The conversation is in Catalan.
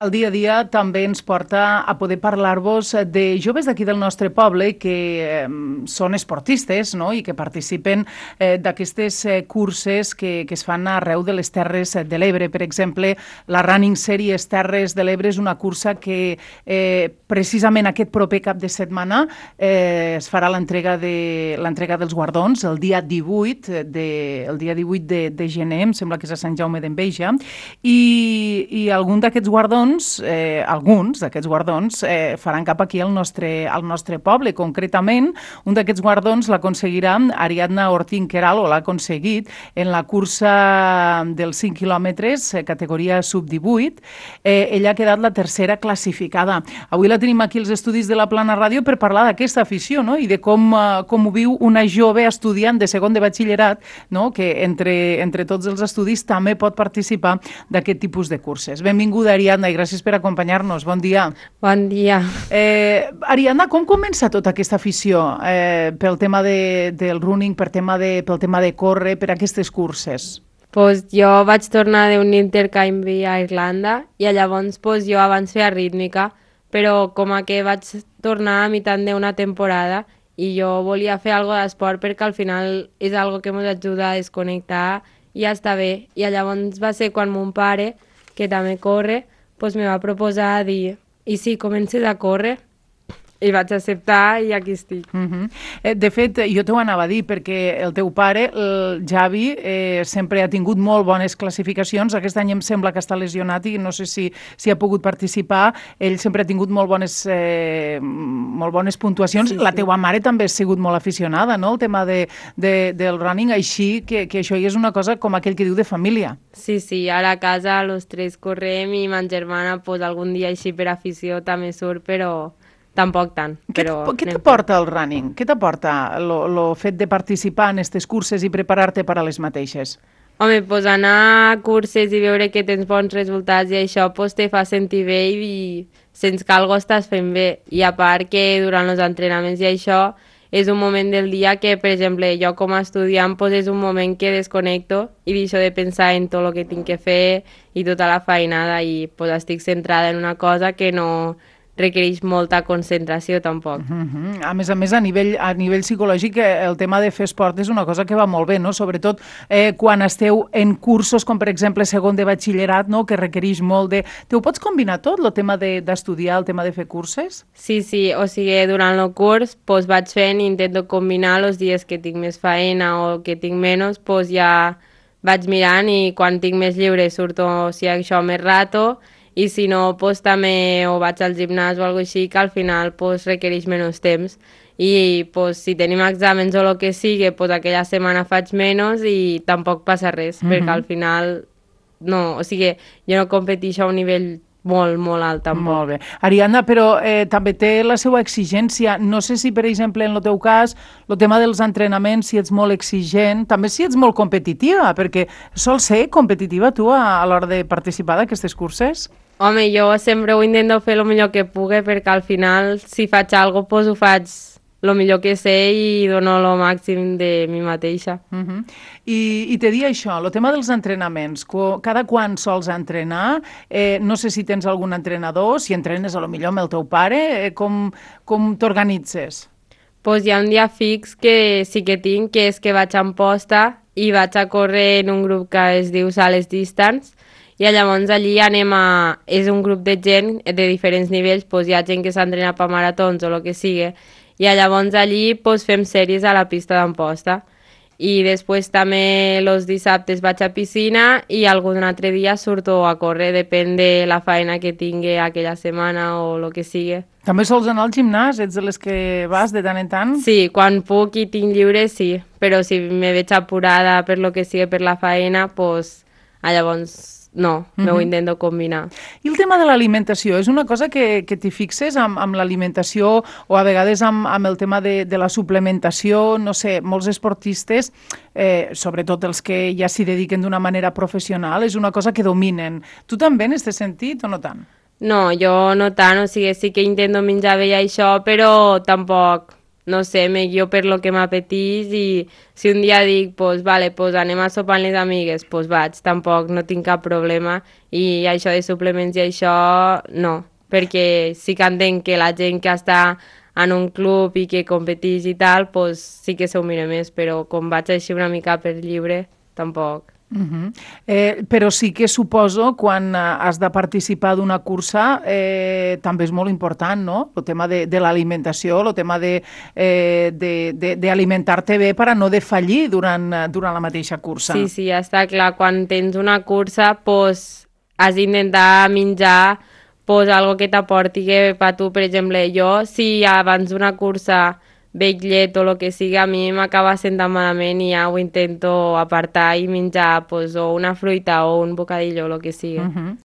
El dia a dia també ens porta a poder parlar-vos de joves d'aquí del nostre poble que són esportistes, no?, i que participen d'aquestes curses que es fan arreu de les Terres de l'Ebre. Per exemple, la Running Series Terres de l'Ebre és una cursa que precisament aquest proper cap de setmana es farà l'entrega dels guardons el dia 18 de gener, em sembla que és a Sant Jaume d'Enveja, i alguns d'aquests guardons faran cap aquí al nostre poble. Concretament, un d'aquests guardons l'aconseguirà Ariadna Ortín Queralt, o l'ha aconseguit, en la cursa dels 5 quilòmetres, categoria sub-18. Ella ha quedat la tercera classificada. Avui la tenim aquí als estudis de la Plana Ràdio per parlar d'aquesta afició, no?, i de com ho viu una jove estudiant de segon de batxillerat, no?, que entre tots els estudis també pot participar d'aquest tipus de curses. Benvinguda, Ariadna, i gràcies per acompanyar-nos. Bon dia. Bon dia. Ariadna, com comença tota aquesta afició pel tema del running, pel tema de córrer, per aquestes curses? Pues jo vaig tornar d'un intercanvi a Irlanda i llavors jo abans feia rítmica, però com que vaig tornar a meitat d'una temporada i jo volia fer alguna d'esport perquè al final és algo que ens ajuda a desconnectar i ja està bé. I llavors va ser quan mon pare, que també corre, me va proposar dir, i sí, comences a córrer, i vaig acceptar i aquí estic. De fet, jo t'ho anava a dir, perquè el teu pare, el Javi, sempre ha tingut molt bones classificacions. Aquest any em sembla que està lesionat i no sé si ha pogut participar. Ell sempre ha tingut molt bones puntuacions. La teua mare també ha sigut molt aficionada, no?, el tema del running, així que això és una cosa com aquell que diu de família. Sí, ara a casa els tres correm i ma germana algun dia així per afició també surt, però tampoc tant. Què t'aporta el running? Què t'aporta el fet de participar en aquestes curses i preparar-te per a les mateixes? Home, anar a curses i veure que tens bons resultats i això te fa sentir bé i sents que alguna cosa estàs fent bé. I a part que durant els entrenaments i això és un moment del dia que, per exemple, jo com a estudiant és un moment que desconnecto i deixo de pensar en tot el que tinc que fer i tota la feinada i estic centrada en una cosa que no requereix molta concentració tampoc. A més, a nivell psicològic, el tema de fer esport és una cosa que va molt bé, no?, sobretot quan esteu en cursos com, per exemple, segon de batxillerat, no?, que requereix molt de... Ho pots combinar tot, el tema d'estudiar, el tema de fer curses? Sí, o sigui, durant el curs vaig fent i intento combinar els dies que tinc més feina o que tinc menys, ja vaig mirant i quan tinc més lliure surto, això més rato, i si no, també o vaig al gimnàs o alguna cosa així, que al final requereix menys temps. I si tenim exàmens o el que sigui, aquella setmana faig menys i tampoc passa res, perquè al final no, o sigui, jo no competeixo a un nivell molt, molt alt tampoc. Molt bé. Ariadna, però també té la seva exigència. No sé si, per exemple, en el teu cas, el tema dels entrenaments, si ets molt exigent, també si ets molt competitiva, perquè sols ser competitiva tu a l'hora de participar d'aquestes curses? Home, jo sempre ho intento fer el millor que pugui, perquè al final, si faig alguna cosa, ho faig el millor que sé i dono el màxim de mi mateixa. I te dia això, el tema dels entrenaments, cada quan sols entrenar, no sé si tens algun entrenador, si entrenes a lo millor amb el teu pare, com t'organitzes? Hi ha un dia fix que sí que tinc, que és que vaig a Amposta i vaig a córrer en un grup que es diu Sales Distance, i llavors allí és un grup de gent de diferents nivells, hi ha gent que s'entrena per maratons o el que sigui, i llavors allí fem sèries a la pista d'Amposta. I després també els dissabtes vaig a piscina i algun altre dia surto a córrer, depèn de la feina que tingui aquella setmana o el que sigui. També sols anar al gimnàs? Ets de les que vas de tant en tant? Sí, quan puc i tinc lliure, sí, però si me veig apurada per lo que sigui per la feina, llavors no, m'ho intento combinar. I el tema de l'alimentació, és una cosa que t'hi fixes amb l'alimentació o a vegades amb el tema de la suplementació? No sé, molts esportistes, sobretot els que ja s'hi dediquen d'una manera professional, és una cosa que dominen. Tu també en aquest sentit o no tant? No, jo no tant, o sigui, sí que intento menjar bé això, però tampoc no sé, me guio per lo que m'apetís i si un dia dic, pues, vale, pues anem a sopar amb les amigues, pues vaig, tampoc no tinc cap problema i això de suplements i això no, perquè sí que entenc que la gent que està en un club i que competís i tal, pues sí que s'ho mira més, però com vaig així una mica per lliure, tampoc. Però sí que suposo quan has de participar d'una cursa també és molt important, no? El tema de l'alimentació, el tema d'alimentar-te bé per a no defallir durant la mateixa cursa. Sí, sí, està clar. Quan tens una cursa, pues, has d'intentar menjar pues, algo que t'aporti que per tu, per exemple, jo, si abans d'una cursa veig llet o el que sigui, a mi m'acaba sentant malament i ja ho intento apartar i menjar pues, o una fruita o un bocadillo o el que sigui.